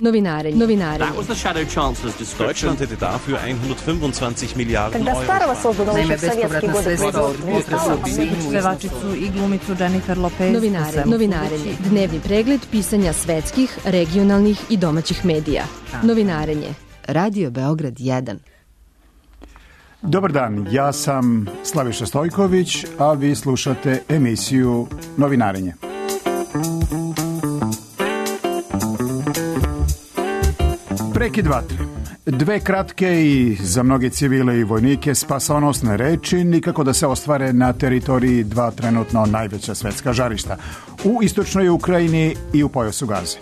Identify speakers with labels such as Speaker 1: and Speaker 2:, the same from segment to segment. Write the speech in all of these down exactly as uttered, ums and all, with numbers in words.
Speaker 1: Novinarenje. Novinarenje.
Speaker 2: That was the Shadow Chancellor's description.
Speaker 3: Deutschland hätte dafür hundertfünfundzwanzig Miliarden
Speaker 4: Когда старого создано
Speaker 5: Naime,
Speaker 4: еще в советские годы производство.
Speaker 5: Pevačicu i glumicu Jennifer Lopez.
Speaker 1: Novinarenje. Novinarenje. Dnevni pregled pisanja svetskih, regionalnih i domaćih medija. Novinarenje. Radio Beograd jedan.
Speaker 6: Dobar dan, ja sam Slaviša Stojković, a vi slušate emisiju Novinarenje. Prekid vatre. Dve kratke i za mnoge civile i vojnike spasonosne reči nikako da se ostvare na teritoriji dva trenutno najveća svetska žarišta, u istočnoj Ukrajini i u pojasu Gaze.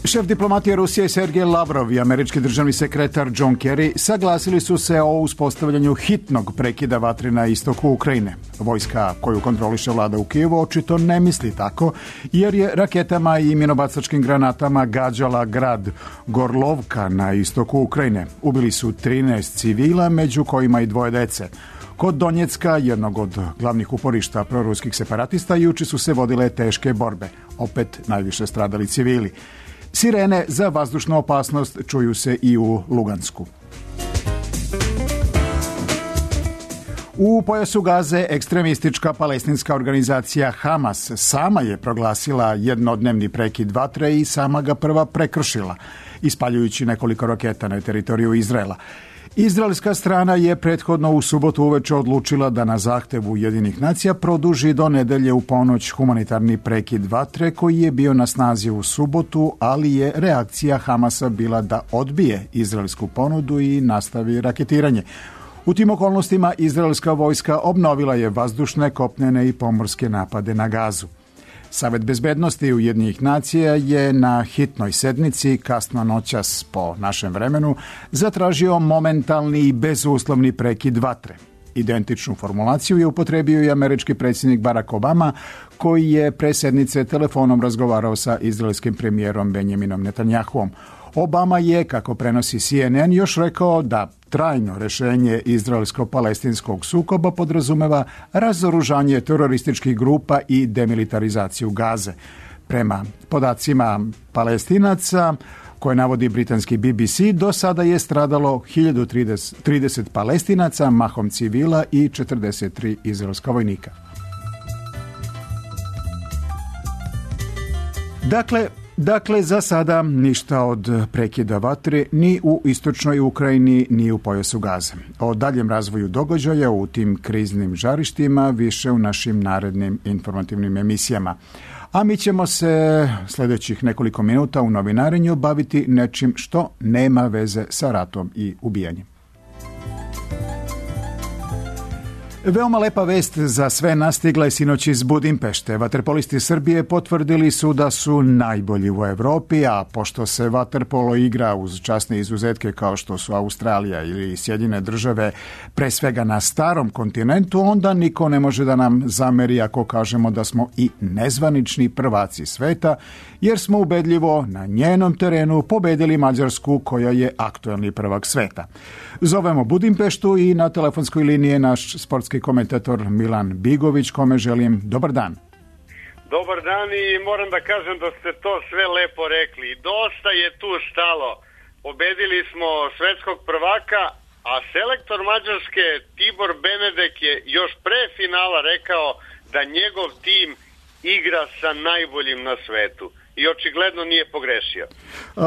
Speaker 6: Šef diplomatije Rusije Sergej Lavrov i američki državni sekretar John Kerry saglasili su se o uspostavljanju hitnog prekida vatre na istoku Ukrajine. Vojska koju kontroliše vlada u Kijevu očito ne misli tako, jer je raketama i minobacačkim granatama gađala grad Gorlovka na istoku Ukrajine. Ubili su trinaest civila, među kojima i dvoje dece. Kod Donjecka, jednog od glavnih uporišta proruskih separatista, juče su se vodile teške borbe. Opet najviše stradali civili. Sirene za vazdušnu opasnost čuju se i u Lugansku. U pojasu Gaze ekstremistička palestinska organizacija Hamas sama je proglasila jednodnevni prekid vatre i sama ga prva prekršila, ispaljujući nekoliko raketa na teritoriju Izraela. Izraelska strana je prethodno u subotu uveče odlučila da na zahtev Ujedinjenih nacija produži do nedelje u ponoć humanitarni prekid vatre koji je bio na snazi u subotu, ali je reakcija Hamasa bila da odbije izraelsku ponudu i nastavi raketiranje. U tim okolnostima izraelska vojska obnovila je vazdušne, kopnene i pomorske napade na Gazu. Savet bezbednosti Ujedinjenih nacija je na hitnoj sednici kasno noćas po našem vremenu zatražio momentalni i bezuslovni prekid vatre. Identičnu formulaciju je upotrebio i američki predsjednik Barack Obama, koji je pre sednice telefonom razgovarao sa izraelskim premijerom Benjaminom Netanjahuom. Obama je, kako prenosi C N N, još rekao da trajno rešenje izraelsko-palestinskog sukoba podrazumeva razoružanje terorističkih grupa i demilitarizaciju Gaze. Prema podacima Palestinaca, koje navodi britanski B B C, do sada je stradalo hiljadu trideset Palestinaca, mahom civila, i četrdeset tri izraelska vojnika. Dakle, Dakle, za sada ništa od prekida vatre ni u istočnoj Ukrajini, ni u pojasu Gaze. O daljem razvoju događaja u tim kriznim žarištima više u našim narednim informativnim emisijama. A mi ćemo se sljedećih nekoliko minuta u novinarenju baviti nečim što nema veze sa ratom i ubijanjem. Veoma lepa vest za sve nas stigla je sinoć iz Budimpešte. Vaterpolisti Srbije potvrdili su da su najbolji u Evropi, a pošto se vaterpolo igra uz časne izuzetke kao što su Australija ili Sjedinjene države, pre svega na starom kontinentu, onda niko ne može da nam zameri ako kažemo da smo i nezvanični prvaci sveta, jer smo ubedljivo na njenom terenu pobedili Mađarsku, koja je aktuelni prvak sveta. Zovemo Budimpeštu i na telefonskoj liniji je naš sportski komentator Milan Bigović, kome želim dobar dan.
Speaker 7: Dobar dan i moram da kažem da ste to sve lepo rekli. Dosta je tu stalo. Pobedili smo svetskog prvaka, a selektor Mađarske Tibor Benedek je još pre finala rekao da njegov tim igra sa najboljim na svetu. I očigledno nije pogrešio.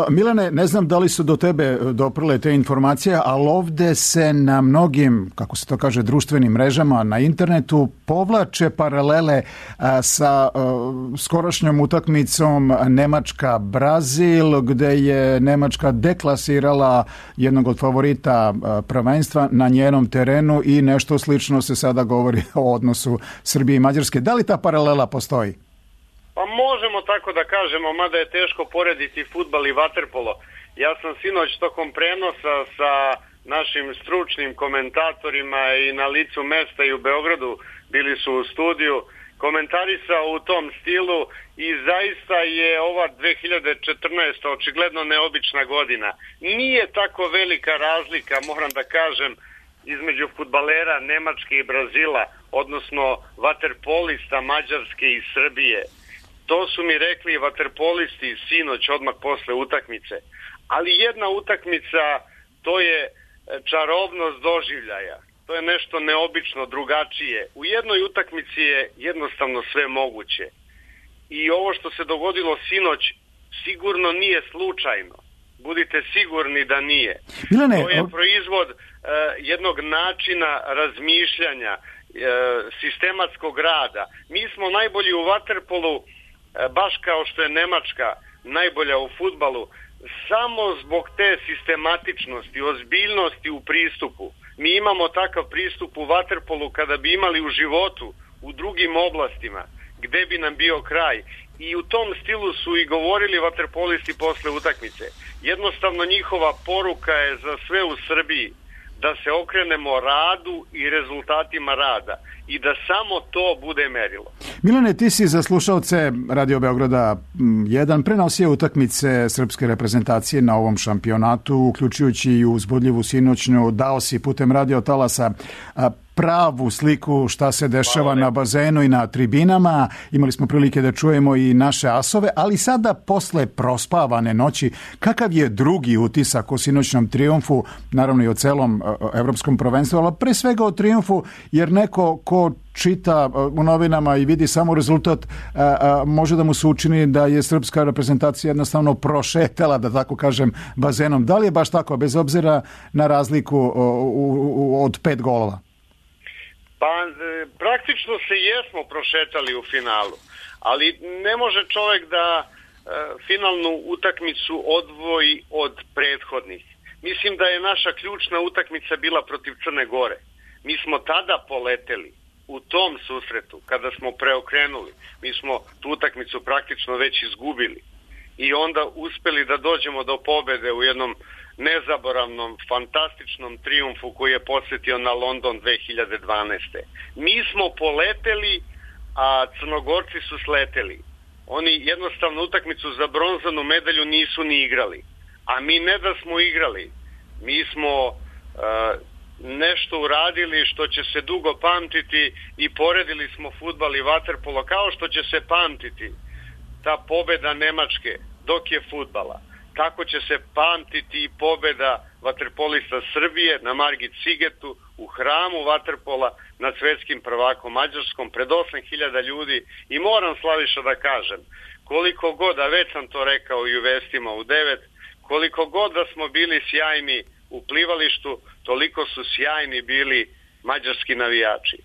Speaker 6: Milane, ne znam da li su do tebe doprle te informacije, ali ovde se na mnogim, kako se to kaže, društvenim mrežama na internetu povlače paralele a, sa a, skorašnjom utakmicom Nemačka-Brazil, gde je Nemačka deklasirala jednog od favorita a, prvenstva na njenom terenu i nešto slično se sada govori o odnosu Srbije i Mađarske. Da li ta paralela postoji?
Speaker 7: Pa možemo tako da kažemo, mada je teško porediti fudbal i vaterpolo. Ja sam sinoć tokom prenosa sa našim stručnim komentatorima i na licu mesta i u Beogradu, bili su u studiju, komentarisao u tom stilu i zaista je ova dve hiljade četrnaesta očigledno neobična godina. Nije tako velika razlika, moram da kažem, između fudbalera Nemačke i Brazila, odnosno vaterpolista Mađarske i Srbije. To su mi rekli vaterpolisti sinoć odmah posle utakmice. Ali jedna utakmica, to je čarobnost doživljaja. To je nešto neobično, drugačije. U jednoj utakmici je jednostavno sve moguće. I ovo što se dogodilo sinoć sigurno nije slučajno. Budite sigurni da nije.
Speaker 6: Milane,
Speaker 7: to je proizvod uh, jednog načina razmišljanja, uh, sistematskog rada. Mi smo najbolji u vaterpolu, uh, baš kao što je Nemačka najbolja u fudbalu, samo zbog te sistematičnosti, ozbiljnosti u pristupu. Mi imamo takav pristup u vaterpolu kada bi imali u životu, u drugim oblastima, gde bi nam bio kraj. I u tom stilu su i govorili vaterpolisti posle utakmice. Jednostavno njihova poruka je za sve u Srbiji da se okrenemo radu i rezultatima rada i da samo to bude merilo.
Speaker 6: Milane, ti si za slušalce Radio Beograda jedan prenosio utakmice srpske reprezentacije na ovom šampionatu, uključujući i uzbudljivu sinoćnju, dao si putem radio talasa pravu sliku šta se dešava na bazenu i na tribinama. Imali smo prilike da čujemo i naše asove, ali sada posle prospavane noći, kakav je drugi utisak o sinoćnom trijumfu, naravno i o celom evropskom prvenstvu, ali pre svega o trijumfu, jer neko ko čita u novinama i vidi samo rezultat, može da mu se učini da je srpska reprezentacija jednostavno prošetala, da tako kažem, bazenom. Da li je baš tako, bez obzira na razliku od pet golova?
Speaker 7: Pa praktično se jesmo prošetali u finalu, ali ne može čovjek da e, finalnu utakmicu odvoji od prethodnih. Mislim da je naša ključna utakmica bila protiv Crne Gore. Mi smo tada poleteli u tom susretu, kada smo preokrenuli. Mi smo tu utakmicu praktično već izgubili i onda uspeli da dođemo do pobede u jednom nezaboravnom, fantastičnom trijumfu koji je podsjetio na London dve hiljade dvanaeste. Mi smo poleteli, a Crnogorci su sleteli. Oni jednostavno utakmicu za bronzanu medalju nisu ni igrali. A mi ne da smo igrali, mi smo uh, nešto uradili što će se dugo pamtiti i poredili smo fudbal i vaterpolo kao što će se pamtiti ta pobeda Nemačke dok je fudbala. Tako će se pamtiti i pobeda vaterpolista Srbije na Margit Sigetu u hramu vaterpola nad svetskim prvakom Mađarskom pred osam hiljada ljudi. I moram, Slaviša, da kažem, koliko god, a već sam to rekao i u vestima u devet, koliko god da smo bili sjajni u plivalištu, toliko su sjajni bili mađarski navijači.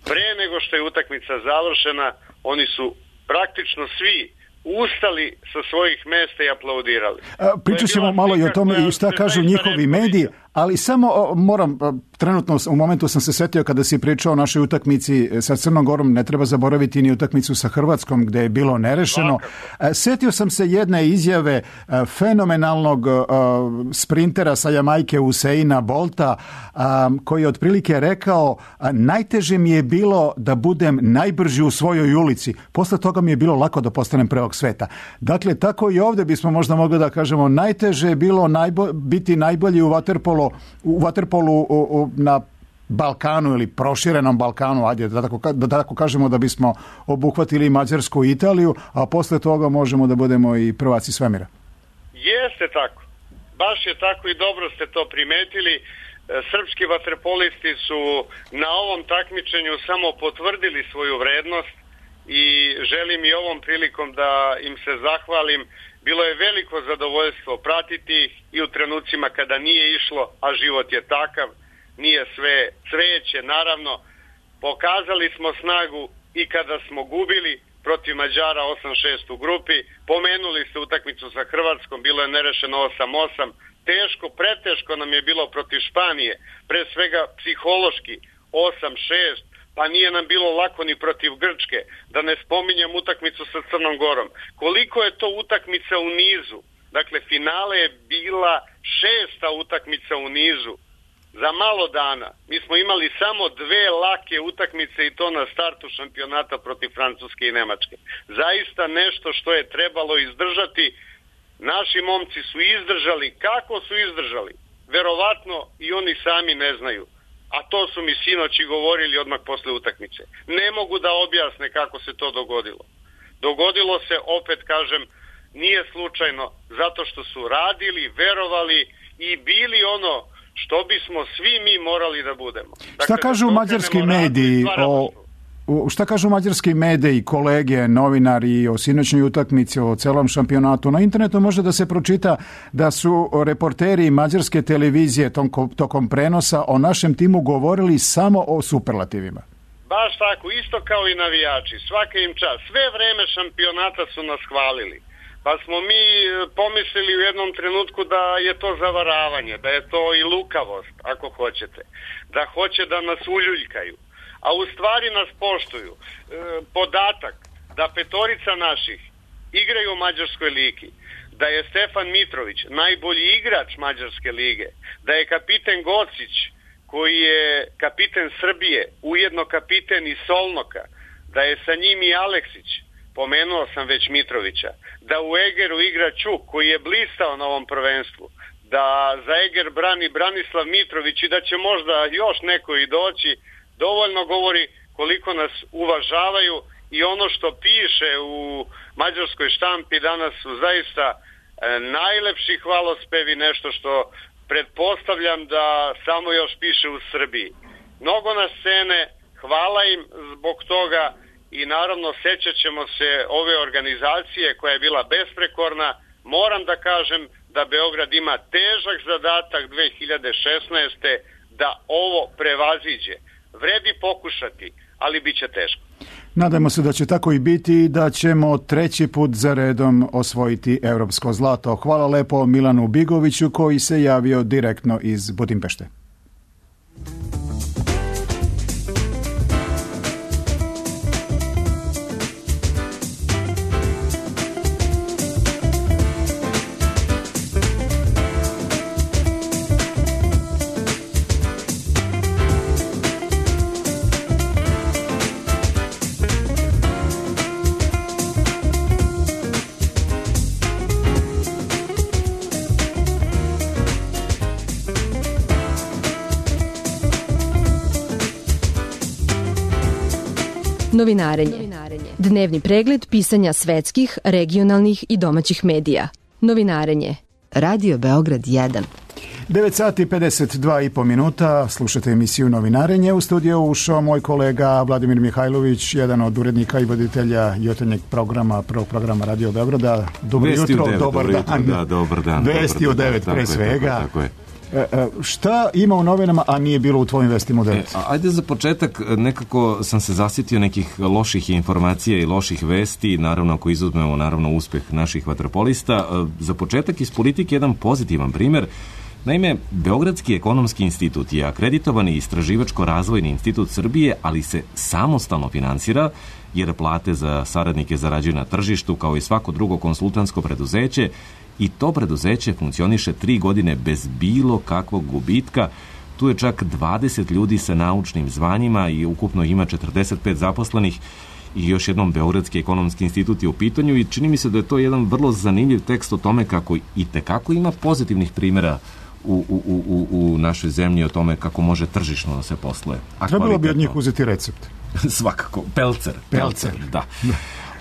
Speaker 7: Pre nego što je utakmica završena, oni su praktično svi ustali sa svojih mesta i aplaudirali.
Speaker 6: Pričat ćemo malo i o tome i šta kažu njihovi mediji, ali samo moram, trenutno u momentu sam se setio kada si pričao o našoj utakmici sa Crnom Gorom, ne treba zaboraviti ni utakmicu sa Hrvatskom gde je bilo nerešeno. Svakako. Setio sam se jedne izjave fenomenalnog sprintera sa Jamajke Useina Bolta, koji je otprilike rekao: najteže mi je bilo da budem najbrži u svojoj ulici, posle toga mi je bilo lako da postanem prvog sveta. Dakle, tako i ovdje bismo možda mogli da kažemo, najteže je bilo najbo, biti najbolji u vaterpolu, u vaterpolu u, u, na Balkanu ili proširenom Balkanu, ajde da tako, da tako kažemo, da bismo obuhvatili Mađarsku i Italiju, a posle toga možemo da budemo i prvaci svemira.
Speaker 7: Jeste tako. Baš je tako i dobro ste to primetili. Srpski vaterpolisti su na ovom takmičenju samo potvrdili svoju vrednost i želim i ovom prilikom da im se zahvalim. Bilo je veliko zadovoljstvo pratiti ih i u trenucima kada nije išlo, a život je takav, nije sve cveće, naravno. Pokazali smo snagu i kada smo gubili protiv Mađara osam šest u grupi. Pomenuli ste utakmicu sa Hrvatskom, bilo je nerešeno osam osam. Teško, preteško nam je bilo protiv Španije, pre svega psihološki osam šest. Pa nije nam bilo lako ni protiv Grčke, da ne spominjem utakmicu sa Crnom Gorom. Koliko je to utakmica u nizu? Dakle, finale je bila šesta utakmica u nizu. Za malo dana mi smo imali samo dve lake utakmice i to na startu šampionata protiv Francuske i Nemačke. Zaista nešto što je trebalo izdržati. Naši momci su izdržali. Kako su izdržali? Verovatno i oni sami ne znaju. A to su mi sinoći govorili odmah posle utakmice. Ne mogu da objasne kako se to dogodilo. Dogodilo se, opet kažem, nije slučajno, zato što su radili, verovali i bili ono što bismo svi mi morali da budemo. Dakle,
Speaker 6: šta kažu mađarski mediji o... Šta kažu mađarski mediji, kolege, novinari o sinoćnoj utakmici, o celom šampionatu? Na internetu može da se pročita da su reporteri mađarske televizije tokom prenosa o našem timu govorili samo o superlativima.
Speaker 7: Baš tako, isto kao i navijači, svaka im čast. Sve vreme šampionata su nas hvalili. Pa smo mi pomislili u jednom trenutku da je to zavaravanje, da je to i lukavost, ako hoćete. Da hoće da nas uljuljkaju. A u stvari nas poštuju. E, podatak da petorica naših igraju u Mađarskoj ligi, da je Stefan Mitrović najbolji igrač Mađarske lige, da je kapiten Gocić, koji je kapiten Srbije, ujedno kapiten i Solnoka, da je sa njim i Aleksić, pomenuo sam već Mitrovića, da u Egeru igra Ćuk, koji je blistao na ovom prvenstvu, da za Eger brani Branislav Mitrović i da će možda još neko i doći, dovoljno govori koliko nas uvažavaju i ono što piše u mađarskoj štampi danas su zaista e, najlepši hvalospevi, nešto što pretpostavljam da samo još piše u Srbiji. Mnogo na scene, hvala im zbog toga i naravno sećat ćemo se ove organizacije koja je bila besprekorna. Moram da kažem da Beograd ima težak zadatak dve hiljade šesnaeste. da ovo prevaziđe. Vredi pokušati, ali bit će teško.
Speaker 6: Nadajmo se da će tako i biti i da ćemo treći put za redom osvojiti evropsko zlato. Hvala lepo Milanu Bigoviću koji se javio direktno iz Budimpešte.
Speaker 1: Novinarenje. Dnevni pregled pisanja svetskih, regionalnih i domaćih medija. Novinarenje. Radio Beograd jedan.
Speaker 6: devet sati pedeset dva i po minuta, slušate emisiju Novinarenje. U studiju ušao moj kolega Vladimir Mihajlović, jedan od urednika i voditelja jutarnjeg programa, prvog programa Radio Beograda. Dobro jutro, dobar dan.
Speaker 2: Da, dobar dan.
Speaker 6: Vesti u devet pre svega. Tako je. E, e, šta ima u novinama, a nije bilo u tvojim vestima u devet?
Speaker 2: E, ajde za početak, nekako sam se zasjetio nekih loših informacija i loših vesti, naravno ako izuzmemo naravno uspeh naših vaterpolista. Za početak iz politike jedan pozitivan primjer. Naime, Beogradski ekonomski institut je akreditovani istraživačko-razvojni institut Srbije, ali se samostalno finansira, jer plate za saradnike zarađuju na tržištu kao i svako drugo konsultantsko preduzeće, i to preduzeće funkcioniše tri godine bez bilo kakvog gubitka. Tu je čak dvadeset ljudi sa naučnim zvanjima i ukupno ima četrdeset pet zaposlenih. I još jednom Beogradski ekonomski institut je u pitanju i čini mi se da je to jedan vrlo zanimljiv tekst o tome kako i tekako ima pozitivnih primjera u, u, u, u našoj zemlji o tome kako može tržišno da se posluje.
Speaker 6: Trebalo bi od njih uzeti recept.
Speaker 2: Svakako. Pelcer.
Speaker 6: Pelcer.
Speaker 2: Pelcer, da.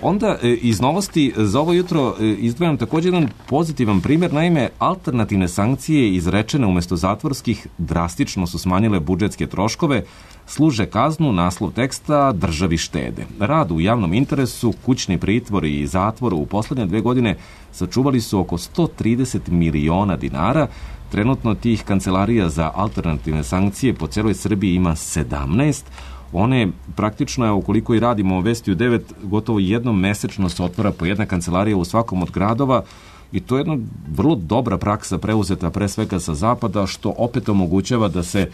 Speaker 2: Onda iz novosti za ovo jutro izdvajam također jedan pozitivan primjer. Naime, alternativne sankcije izrečene umjesto zatvorskih drastično su smanjile budžetske troškove, služe kaznu, naslov teksta državi štede. Rad u javnom interesu, kućni pritvor i zatvor u posljednje dve godine sačuvali su oko sto trideset miliona dinara. Trenutno tih kancelarija za alternativne sankcije po celoj Srbiji ima sedamnaest. One praktično, ukoliko i radimo Vesti u devet, gotovo jednom mesečno se otvara po jedna kancelarija u svakom od gradova i to je jedna vrlo dobra praksa preuzeta pre svega sa zapada, što opet omogućava da se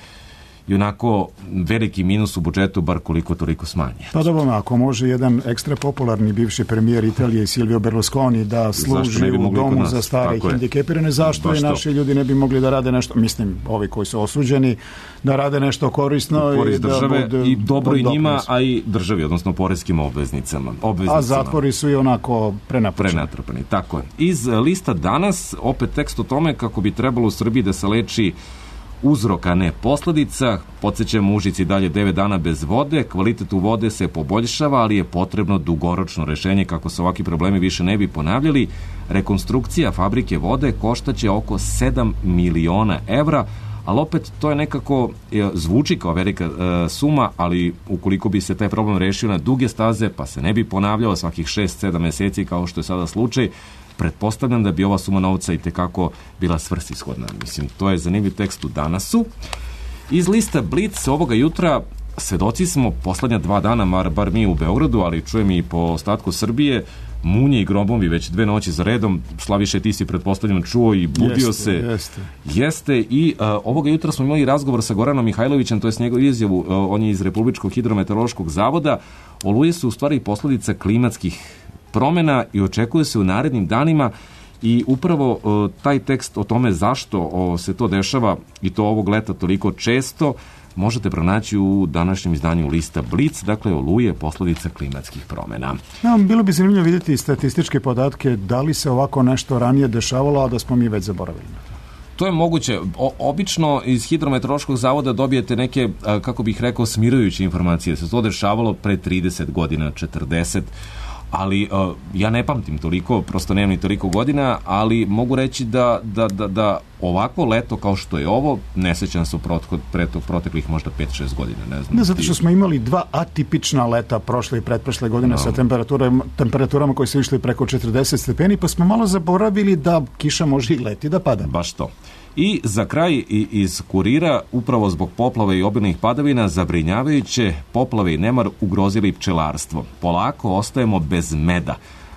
Speaker 2: i onako veliki minus u budžetu bar koliko toliko smanje.
Speaker 6: Pa dobro, ako može jedan ekstra popularni bivši premijer Italije Silvio Berlusconi da služi u domu za stare i hendikepirane, zašto i naši ljudi ne bi mogli da rade nešto, mislim, ovi koji su osuđeni, da rade nešto korisno
Speaker 2: i države,
Speaker 6: da bude,
Speaker 2: i dobro i njima, a i državi, odnosno poreskim obveznicama. obveznicama.
Speaker 6: A zatvori su i onako prenapučeni.
Speaker 2: Prenatrpani, tako je. Iz lista danas opet tekst o tome kako bi trebalo u Srbiji da se leči uzrok, a ne posledica. Podsjećam, u Užici dalje devet dana bez vode, kvalitet u vode se poboljšava, ali je potrebno dugoročno rešenje kako se ovakvi problemi više ne bi ponavljali. Rekonstrukcija fabrike vode koštaće oko sedam miliona evra, ali opet to je nekako, zvuči kao velika e, suma, ali ukoliko bi se taj problem rešio na duge staze, pa se ne bi ponavljao svakih šest sedam meseci kao što je sada slučaj, pretpostavljam da bi ova suma novca i tekako bila svrsishodna. Mislim, to je zanimljiv tekst u Danasu. Iz lista Blic ovoga jutra svedoci smo poslednja dva dana, mar, bar mi u Beogradu, ali čujem i po ostatku Srbije, munje i grobovi već dve noći za redom. Slaviše, ti si pretpostavljeno čuo i budio
Speaker 6: jeste,
Speaker 2: se.
Speaker 6: Jeste.
Speaker 2: Jeste i uh, ovoga jutra smo imali razgovor sa Goranom Mihajlovićem, to je njegovu izjavu, uh, on je iz Republičkog hidrometeorološkog zavoda. Oluje su u stvari posledica klimatskih promena i očekuje se u narednim danima i upravo uh, taj tekst o tome zašto uh, se to dešava i to ovog leta toliko često možete pronaći u današnjem izdanju lista Blic, dakle oluje posledica klimatskih promena.
Speaker 6: Ja, bilo bi zanimljivo vidjeti statističke podatke da li se ovako nešto ranije dešavalo, a da smo mi već zaboravili.
Speaker 2: To je moguće. O, obično iz hidrometeorološkog zavoda dobijete neke, kako bih rekao, smirujuće informacije. Se to dešavalo pre trideset godina, četrdeset, ali uh, ja ne pamtim toliko, prosto nemam ni toliko godina, ali mogu reći da, da, da, da ovako leto kao što je ovo, ne sećam se u proteklih možda pet šest godina. Ne znam.
Speaker 6: Ne, zato što smo imali dva atipična leta prošle i pretprošle godine no. sa temperaturama, temperaturama koje su išli preko četrdeset stepeni, pa smo malo zaboravili da kiša može i leti da pada.
Speaker 2: Baš to. I za kraj iz Kurira, upravo zbog poplava i obilnih padavina, zabrinjavajuće poplave i nemar ugrozili pčelarstvo. Polako ostajemo bez meda.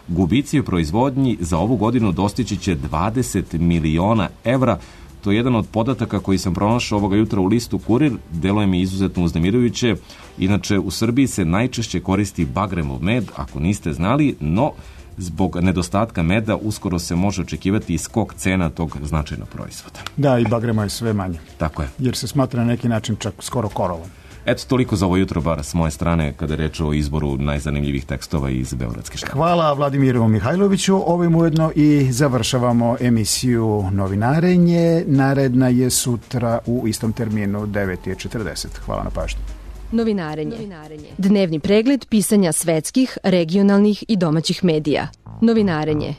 Speaker 2: Gubici u proizvodnji za ovu godinu dostići će dvadeset miliona evra. To je jedan od podataka koji sam pronašao ovoga jutra u listu Kurir. Deluje mi izuzetno uznemirujuće. Inače, u Srbiji se najčešće koristi bagremov med, ako niste znali, no zbog nedostatka meda uskoro se može očekivati i skok cena tog značajnog proizvoda.
Speaker 6: Da, i bagrema je sve manje.
Speaker 2: Tako je.
Speaker 6: Jer se smatra na neki način čak skoro korovom.
Speaker 2: Eto, toliko za ovo jutro, bar s moje strane, kada je reč o izboru najzanimljivih tekstova iz Beogradske štampe.
Speaker 6: Hvala Vladimiru Mihajloviću. Ovim ujedno i završavamo emisiju Novinarenje. Naredna je sutra u istom terminu devet četrdeset. Hvala na pažnju.
Speaker 1: Novinarenje. Dnevni pregled pisanja svetskih, regionalnih i domaćih medija. Novinarenje.